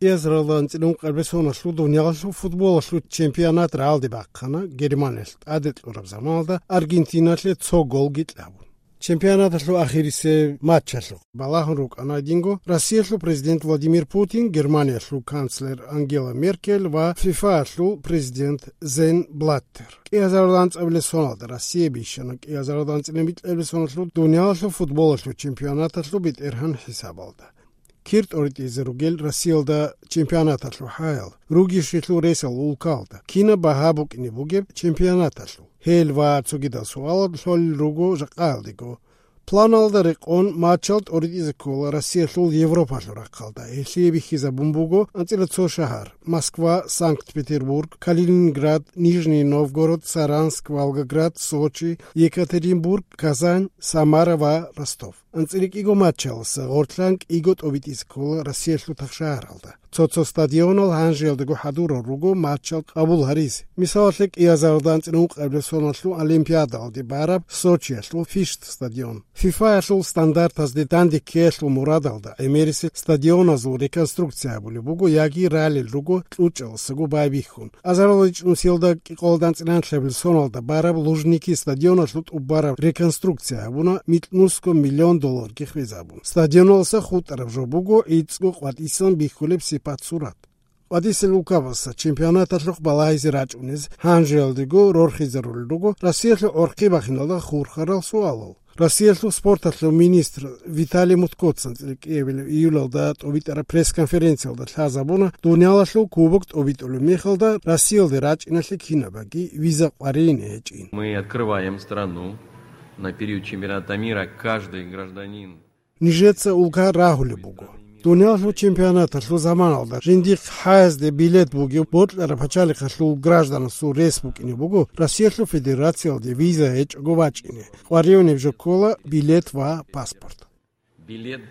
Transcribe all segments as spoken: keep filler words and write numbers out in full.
КӀиазаралда анцӀила ункъабилеб соналъул дуниялалъул футболалъул чемпионат рагӀалде бахъана, Германиялъ тӀаде кьураб заманалда Аргентиналъе цо голги кьабун. Чемпионаталъул ахирисеб матчалъухъ балагьун рукӀана гьединго Россиялъул президент Владимир Путин, Германиялъул канцлер Ангела Меркель ва ФИФАялъул президент Зен Блаттер. КӀиазаралда анцӀабилеб соналда Россия бищана кӀиазаралда анцӀила микьабилеб соналъул дуниялалъул футболалъул чемпионаталъул бетӀергьан хӀисабалда. Кир тӀоритӀизе ругел Россиялда чемпионаталъул хӀаял, ругищелъул ресал улкалда, кинаб багьа букӀине бугеб чемпионаталъул? Гьел ва цогидал суалал лъолел руго жакъаялдего. Планалда рекъон матчал тӀоритӀизе ккола Россиялъул Европалъул рахъалда. Гьелъие бихьизабун буго анцӀила цо шагьар: Москва, Санкт-Петербург, Калининград, Нижний Новгород, Саранск, Волгоград, Сочи, Екатеринбург, Казань, Самара ва Ростов. АнцӀила кӀиго матчаласа гъорлъан кӀиго тӀобитӀизе ккола Россиялъул тахшагьаралда. Цо-цо стадионал гьанжеялдаго хӀадурал руго матчал къабул гьаризе. Мисалалъе, кӀиазаралда анцӀила ункъабилеб соналъул Олимпиадалде бараб Сочиялъул Фишт стадион. ФИФАялъул стандартазде данде ккеялъул мурадалда гӀемерисел стадионазул реконструкция гьабулеб буго яги ралел руго кьучӀаласаго байбихьун. Азарал ричӀнусиялда кӀикъоялда анцӀила нилъабилеб соналда бараб Лужники стадионалъул тӀубараб реконструкция гьабуна микьнусго миллион долларги хвезабун. Стадионалса хутӀараб жо буго гӀицӀго къватӀисан бихьулеб сипат-сурат. КъватӀисел улкабаса чемпионаталъухъ балагьизе рачӀунез гьанжеялдего рорхизарулел руго Россиялъул гӀорхъи бахиналда хурхарал суалал. Россиялъул спорталъул министр Виталий Мутко анцӀила кӀиабилеб июлалда тӀобитӀараб пресс-конференциялда лъазабуна, дуниялалъул кубок тӀобитӀулеб мехалда Россиялде рачӀиналъе кинабаги виза къваригӀине гьечӀин. Мы открываем страну на период чемпионата мира. Каждый гражданин. Нижеца улка рагьулеб буго. Дуниялалъул чемпионаталъул заманалда жиндихъ хӀаязде билет бугев бокьараб пачалихъалъул гражданасул рес букӀине буго Россиялъул Федерациялде виза гьечӀого вачӀине. КъваригӀунеб жо ккола билет ва паспорт. Билет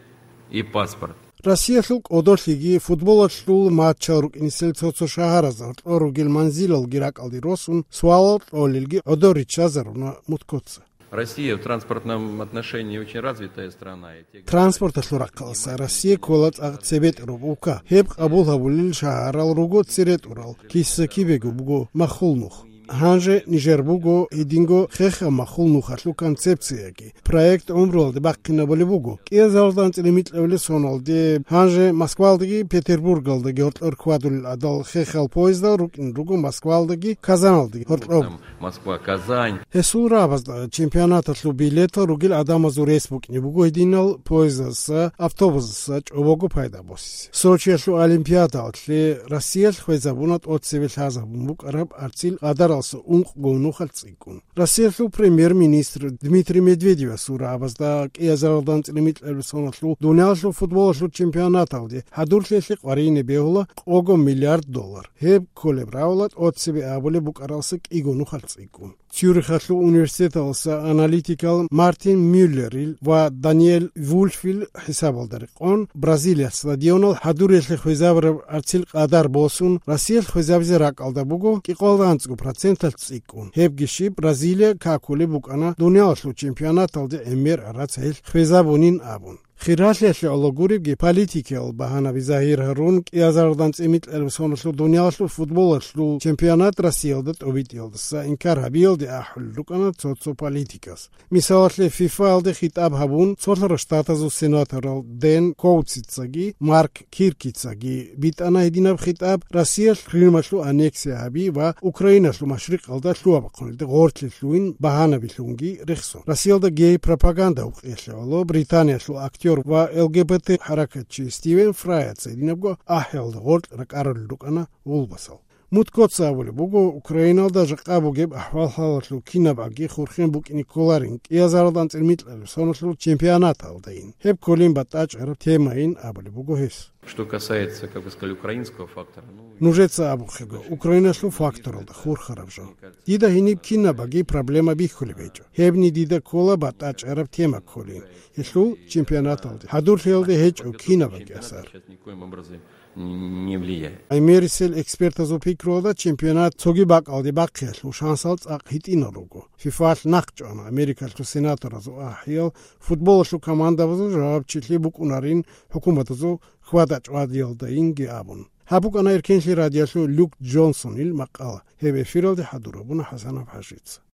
и паспорт. Россиялъул кӀодолъиги футболалъул матчал рукӀинисел цо-цо шагьаразда гьоркьор ругел манзилалги ракӀалде росун, суалал кьолелги гӀодор риччазаруна Муткоца. Россия в транспортном отношении очень развитая страна. И те Транспорталъул рахъаласа Россия ккола цӀакъ цебетӀераб улка. Гьеб къабул гьабулел шагьарал руго цере тӀурал, киса-кибего буго махул нух. Гьанже нижер буго гьединго хехаб махул нухалъул концепцияги. Проект гӀумруялде бахъинабулеб буго. КӀиазаралда анцӀила микьабилеб соналде гьанже Москвалдаги Петербургалдаги гьоркьор хьвадулел гӀадал хехал поездал рукӀин руго Москвалдаги Казаналдаги гьоркьоб. Там Москва, Казань. Гьесул рагӀабазда чемпионаталъул билетал ругел гӀадамазул рес букӀине буго гьединал поездазаса, автобусазаса чӀобого пайда босизе. Сочиялъул Олимпиадалъе Россиялъ хвезабуна тӀоцебе лъазабун букӀараб арцил къадаралса ункъго нухалъ цӀикӀкӀун. Россиялъул премьер-министр Дмитрий Медведевасул рагӀабазда кӀиазаралда анцӀила микьабилеб соналъул дуниялалъул футболалъул чемпионаталде хӀадурлъиялъе къваригӀине бегьула къого миллиард доллар. Гьеб кколеб рагӀула тӀоцебе абулеб букӀаралса кӀиго нухалъ цӀикӀкӀун. Цюрихалъул университеталаса аналитикал Мартин Мюллерил ва Даниэль Вульфил хӀисабалда рекъон, Бразилиялъ стадионал хӀадуриялъе хвезабураб арцил къадар босун, Россиялъ хвезабизе ракӀалда буго кӀикъоялда анцӀго проценталъ цӀикӀкӀун. Гьебги щиб, Бразилия какулеб букӀана дуниялалъул чемпионаталде гӀемер гӀарац гьелъ хвезабунин абун. Хиралъиялъе гӀоло гуребги, политикиял багьанаби загьир гьарун, кӀиазаралда анцӀила микьабилеб соналъул дуниялалъул футболалъул чемпионат Россиялда тӀобитӀиялдаса инкар гьабиялде ахӀулел рукӀана цо-цо политикас. Мисалалъе, ФИФАялде хитӀаб гьабун, Цолъарал Штатазул сенаторал Дэн Коутсицаги Марк Киркицаги битӀана гьединаб хитӀаб Россиялъ Крымалъул аннексия гьаби ва Украиналъул машрикъалда лъугьа-бахъуналде гъорлъе лъугьин багьанабилъунги рехсон. Россиялда гей-пропаганда гьукъиялъе гӀоло Британиялъул актер ва Л Г Б Т хӀаракатчи Стивен Фрайаца гьединабго ахӀиялда гъоркь ракӀарулел рукӀана гъулбасал. Муткоца абулеб буго, Украиналда жакъа бугеб ахӀвал-хӀалалъул кинабаги хурхен букӀине кколарин кӀиазаралда анцӀила микьабилеб соналъул чемпионаталдайин. Гьеб кколин батӀачӀараб темайин абулеб буго гьес. Что касается, как вы сказали, украинского фактора, ну, Нужеца абухъего, Украиналъул факторалда хурхараб жо. Дида гьениб кинабаги проблема бихьулеб гьечӀо. Гьебни дида ккола батӀачӀараб тема кколин. Гьелъул чемпионаталде хӀадурлъиялде гьечӀо кинабаги асар. Сейчас никоим образом не влияет. ГӀемерисел экспертазул пикруялда, чемпионат цоги бакӀалде бахъиялъул шансал цӀакъ гьитӀинал руго. ФИФАлъ нахъчӀвана Америкалъул сенаторазул ахӀиял футболалъул командабазул жавабчилъи букӀунарин хӀукуматазул хьвада-чӀвадиялдайинги абун. Гьаб букӀана Эркенлъи радиоялъул Люк Джонсонил макъала. Гьеб эфиралде хӀадур гьабуна ХӀасанов ХӀажица.